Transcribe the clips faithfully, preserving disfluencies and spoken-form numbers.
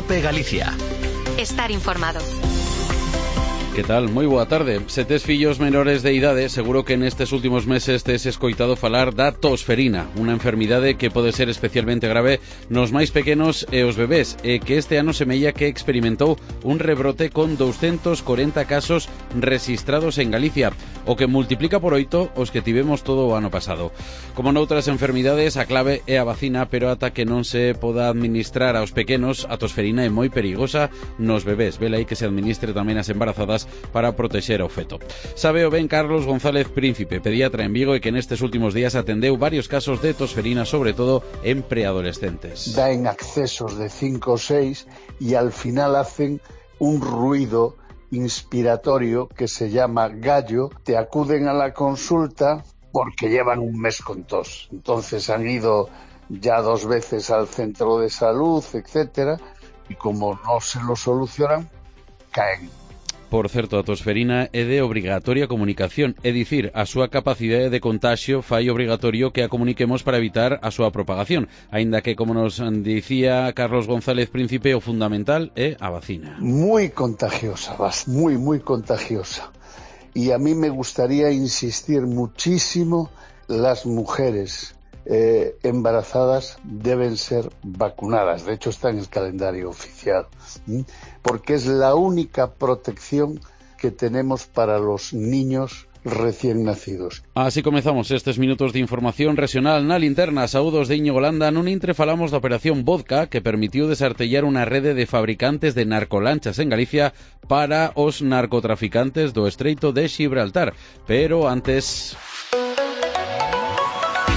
COPE Galicia. Estar informado. Que tal? Moi boa tarde. Se tes fillos menores de idade, seguro que nestes últimos meses tes escoitado falar da tosferina, unha enfermidade que pode ser especialmente grave nos máis pequenos e os bebés, e que este ano semella que experimentou un rebrote con doscientos corenta casos rexistrados en Galicia, o que multiplica por oito os que tivemos todo o ano pasado. Como noutras enfermidades, a clave é a vacina, pero ata que non se poda administrar aos pequenos, a tosferina é moi perigosa nos bebés. Vela aí que se administre tamén as embarazadas para protexer ao feto. Sabeo ben Carlos González Príncipe, pediatra en Vigo, e que nestes últimos días atendeu varios casos de tosferina, sobre todo en preadolescentes. Da en accesos de cinco o seis e al final hacen un ruido inspiratorio que se llama gallo. Te acuden a la consulta porque llevan un mes con tos. Entonces han ido ya dos veces al centro de salud, etcétera, y como no se lo solucionan, caen. Por certo, a tosferina é de obrigatoria comunicación, é dicir, a súa capacidade de contagio fai obrigatorio que a comuniquemos para evitar a súa propagación, aínda que, como nos dicía Carlos González Príncipe, o fundamental é a vacina. Muy contagiosa, muy, muy contagiosa. Y a mí me gustaría insistir muchísimo, las mujeres eh, embarazadas deben ser vacunadas. De hecho, está en el calendario oficial, ¿sí? Porque es la única protección que tenemos para los niños recién nacidos. Así comezamos estes minutos de información regional na linterna. Saúdos de Íñigo Landa. Nun intre falamos da operación Vodka, que permitiu desartellar unha rede de fabricantes de narcolanchas en Galicia para os narcotraficantes do Estreito de Xibraltar. Pero antes...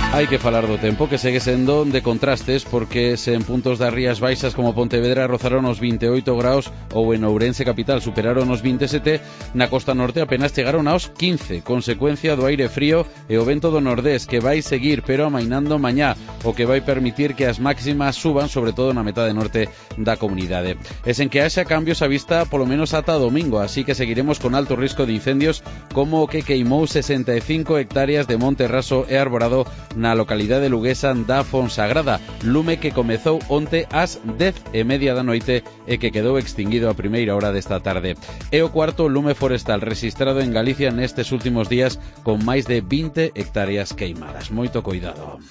hai que falar do tempo, que segue sendo de contrastes, porque se en puntos das Rías Baixas como Pontevedra rozaron os vinte e oito graus ou en Ourense capital superaron os vinte e sete, na costa norte apenas chegaron aos quince, consecuencia do aire frío e o vento do nordés, que vai seguir pero amainando mañá, o que vai permitir que as máximas suban, sobre todo na metade norte da comunidade. E sen que haxa cambios a vista polo menos ata domingo, así que seguiremos con alto risco de incendios, como o que queimou sesenta e cinco hectáreas de monte raso e arborado na localidade luguesa da Fonsagrada, lume que comezou onte ás dez e media da noite e que quedou extinguido a primeira hora desta tarde. É o cuarto lume forestal rexistrado en Galicia nestes últimos días, con máis de vinte hectáreas queimadas. Moito coidado.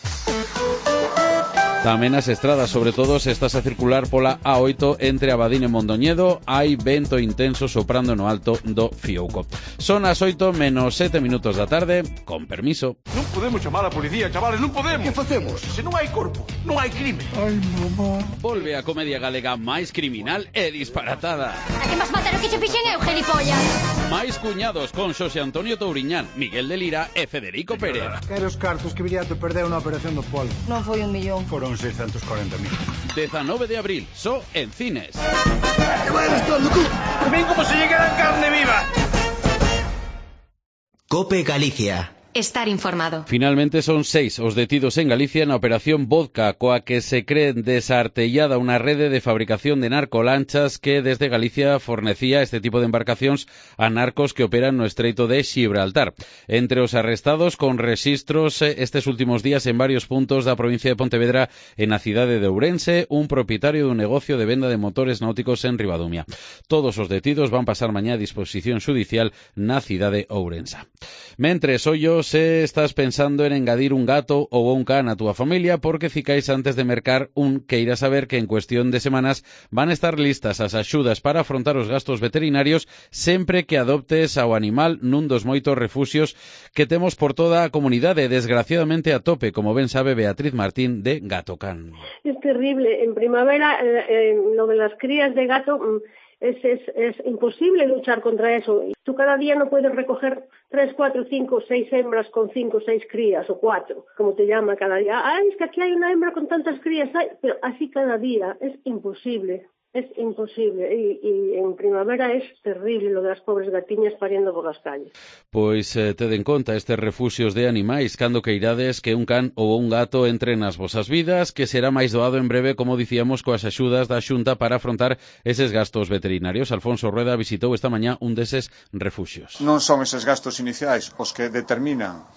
Tamén as estradas, sobre todo se estás a circular pola A oito entre Abadín e Mondoñedo, hai vento intenso soprando no alto do Fiouco. Son as oito menos sete minutos da tarde, con permiso. Non podemos chamar a policía, chavales, non podemos. Que facemos? Se non hai corpo, non hai crime. Ai, mamá. Volve a comedia galega máis criminal e disparatada. A que vas matar o que che fixen eu, gilipollas? Máis cuñados con Xosé Antonio Touriñán, Miguel de Lira e Federico Pérez. Quero os cartos que Viriato perdeu na operación do Polo. Non foi un millón. Foron seiscentos corenta mil. dezanove de abril, só en cines. Que vai estar, loco? Ven como se llegará carne viva. COPE Galicia. Estar informado. Finalmente son seis os detidos en Galicia na operación Vodka, coa que se cree desartellada unha rede de fabricación de narcolanchas que desde Galicia fornecía este tipo de embarcacións a narcos que operan no Estreito de Xibraltar. Entre os arrestados con rexistros estes últimos días en varios puntos da provincia de Pontevedra e na cidade de Ourense, un propietario dun negocio de venda de motores náuticos en Ribadumia. Todos os detidos van pasar mañá a disposición xudicial na cidade ourensa. Mentres, ollos, se estás pensando en engadir un gato ou un can a túa familia, porque cicais antes de mercar un, que irás saber que en cuestión de semanas van a estar listas as axudas para afrontar os gastos veterinarios sempre que adoptes ao animal nun dos moitos refuxios que temos por toda a comunidade, desgraciadamente a tope, como ben sabe Beatriz Martín de Gato Can. Es terrible. En primavera, eh, eh, lo de las crías de gato... Es, es, es imposible luchar contra eso. Tú cada día no puedes recoger tres, cuatro, cinco, seis hembras con cinco, seis crías, o cuatro, como te llama cada día. Ah, es que aquí hay una hembra con tantas crías, ay, pero así cada día es imposible. Es imposible, y, y en primavera es terrible lo de las pobres gatiñas pariendo por las calles. Pois eh, ted en conta estes refuxios de animais cando queirades que un can ou un gato entre nas vosas vidas, que será máis doado en breve, como dicíamos, coas axudas da Xunta para afrontar eses gastos veterinarios. Alfonso Rueda visitou esta mañá un deses refuxios. Non son eses gastos iniciais os que determinan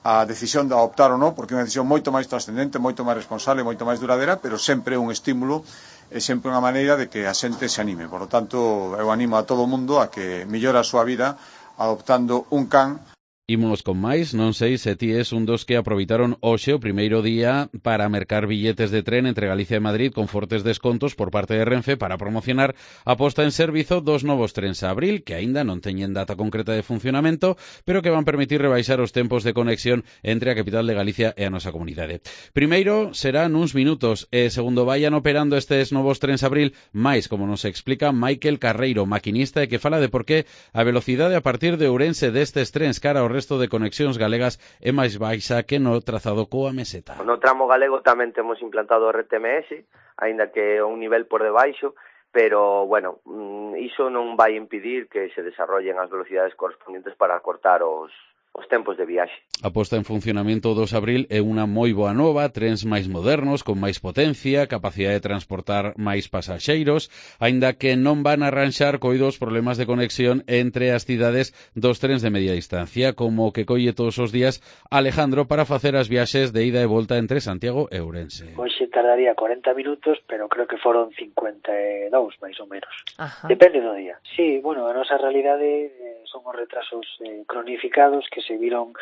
a decisión de adoptar ou non, porque é unha decisión moito máis trascendente, moito máis responsable, moito máis duradeira, pero sempre é un estímulo, é sempre unha maneira de que a xente se anime. Por lo tanto, eu animo a todo o mundo a que mellore a súa vida adoptando un can. Imos con máis, non sei se ti es un dos que aproveitaron hoxe o primeiro día para mercar billetes de tren entre Galicia e Madrid con fortes descontos por parte de Renfe para promocionar a posta en servizo dos novos trens a abril, que aínda non teñen data concreta de funcionamento, pero que van permitir rebaixar os tempos de conexión entre a capital de Galicia e a nosa comunidade. Primeiro serán uns minutos e segundo vayan operando estes novos trens a abril, máis, como nos explica Michael Carreiro, maquinista, e que fala de por qué a velocidade a partir de Ourense destes trens cara ao resto de conexións galegas é máis baixa que no trazado coa meseta. No tramo galego tamén temos implantado o R T M S, aínda que é un nivel por debaixo, pero, bueno, iso non vai impedir que se desarrollen as velocidades correspondentes para cortar os os tempos de viaxe. A posta en funcionamento dos abril é unha moi boa nova, trens máis modernos, con máis potencia, capacidade de transportar máis pasaxeiros, aínda que non van a arranxar coidos problemas de conexión entre as cidades dos trens de media distancia, como que colle todos os días Alejandro para facer as viaxes de ida e volta entre Santiago e Ourense. Hoxe tardaría cuarenta minutos, pero creo que foron cincuenta e dous, máis ou menos. Ajá. Depende do día. Sí, bueno, a nosa realidade eh, son os retrasos eh, cronificados que se viron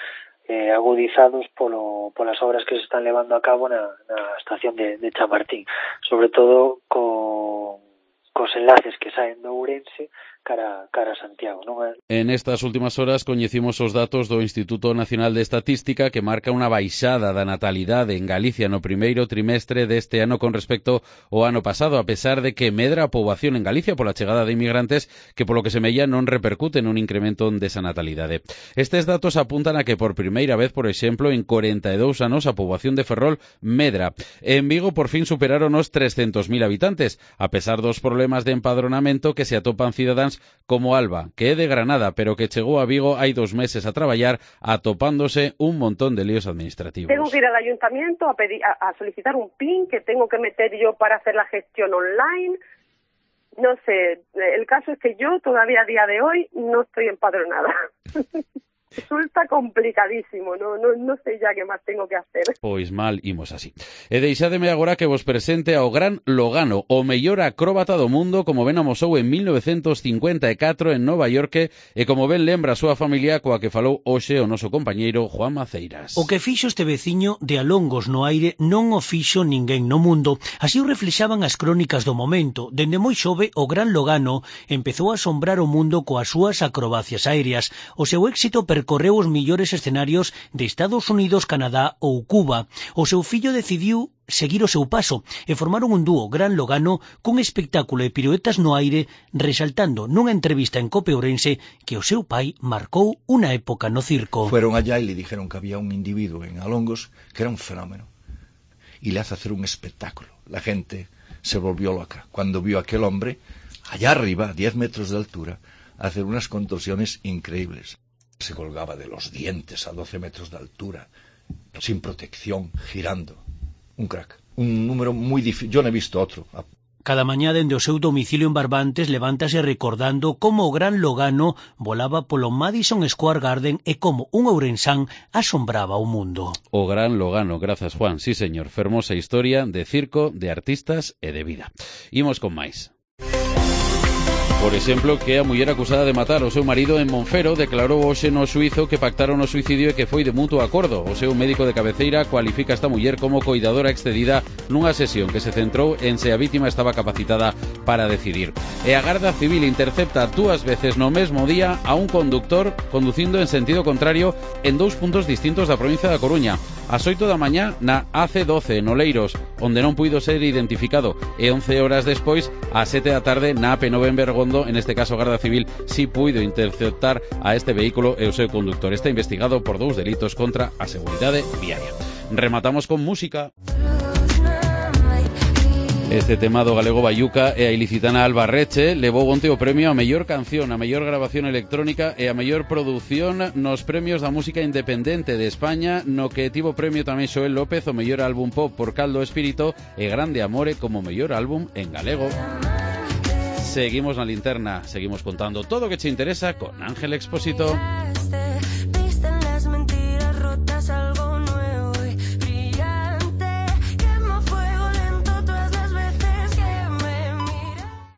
eh, agudizados polo, polas obras que se están levando a cabo na, na estación de, de Chamartín, sobre todo con cos enlaces que saen do Ourense cara, cara a Santiago, non é? En estas últimas horas coñecimos os datos do Instituto Nacional de Estatística que marca unha baixada da natalidade en Galicia no primeiro trimestre deste ano con respecto ao ano pasado, a pesar de que medra a poboación en Galicia pola chegada de inmigrantes que polo que semella non repercute nun incremento desa natalidade. Estes datos apuntan a que por primeira vez, por exemplo, en corenta e dous anos a poboación de Ferrol medra. En Vigo por fin superaron os trescentos mil habitantes, a pesar dos problemas de empadronamento que se atopan cidadáns como Alba, que é de Granada, pero que chegou a Vigo hai dos meses a traballar atopándose un montón de líos administrativos. Tengo que ir al ayuntamiento a, pedir, a, a solicitar un P I N que tengo que meter yo para hacer la gestión online. No sé, el caso es que yo todavía a día de hoy no estoy empadronada. Resulta complicadísimo, no, no, no sei ya que máis tengo que hacer. Pois mal, imos así. E deixádeme agora que vos presente ao gran Logano, o mellor acróbata do mundo, como ben amosou en mil novecientos cincuenta e catro en Nova York, e como ben lembra a súa familia coa que falou hoxe o noso compañeiro Juan Maceiras. O que fixo este veciño de alongos no aire non o fixo ninguén no mundo. Así o reflexaban as crónicas do momento. Dende moi xove, o gran Logano empezou a asombrar o mundo coas súas acrobacias aéreas. O seu éxito per correu os millores escenarios de Estados Unidos, Canadá ou Cuba. O seu fillo decidiu seguir o seu paso e formaron un dúo, Gran Logano, cun espectáculo de piruetas no aire, resaltando nunha entrevista en Cope Ourense que o seu pai marcou unha época no circo. Fueron allá e le dijeron que había un individuo en Alongos que era un fenómeno y le hace hacer un espectáculo. La gente se volvió loca cuando vio a aquel hombre allá arriba, a diez metros de altura, hacer unas contorsiones increíbles. Se colgaba de los dientes a doce metros de altura, sin protección, girando. Un crack. Un número muy difícil. Yo no he visto otro. Cada mañá dende o seu domicilio en Barbantes levántase recordando como o gran Logano volaba polo Madison Square Garden e como un ourensán asombraba o mundo. O gran Logano, grazas Juan, sí señor, fermosa historia de circo, de artistas e de vida. Imos con máis. Por exemplo, que a muller acusada de matar o seu marido en Monfero declarou hoxe no xuízo que pactaron o suicidio e que foi de mutuo acordo. O seu médico de cabeceira cualifica esta muller como coidadora excedida nunha sesión que se centrou en se a vítima estaba capacitada para decidir. E a Garda Civil intercepta dúas veces no mesmo día a un conductor conducindo en sentido contrario en dous puntos distintos da provincia da Coruña. Ás oito da mañá na A C doce, en Oleiros, onde non puido ser identificado, e once horas despois, ás sete da tarde, na A P nove en Bergondo, en este caso a Garda Civil si puido interceptar a este vehículo e o seu conductor. Está investigado por dous delitos contra a seguridade viaria. Rematamos con música. Este tema do galego Bayuca e a ilicitana Alba Reche levou onte o premio a mellor canción, a mellor grabación electrónica e a mellor produción nos premios da música independente de España, no que tivo premio tamén Xoel López o mellor álbum pop por Caldo Espírito e Grande Amore como mellor álbum en galego. Seguimos na linterna, seguimos contando todo o que che interesa con Ángel Expósito.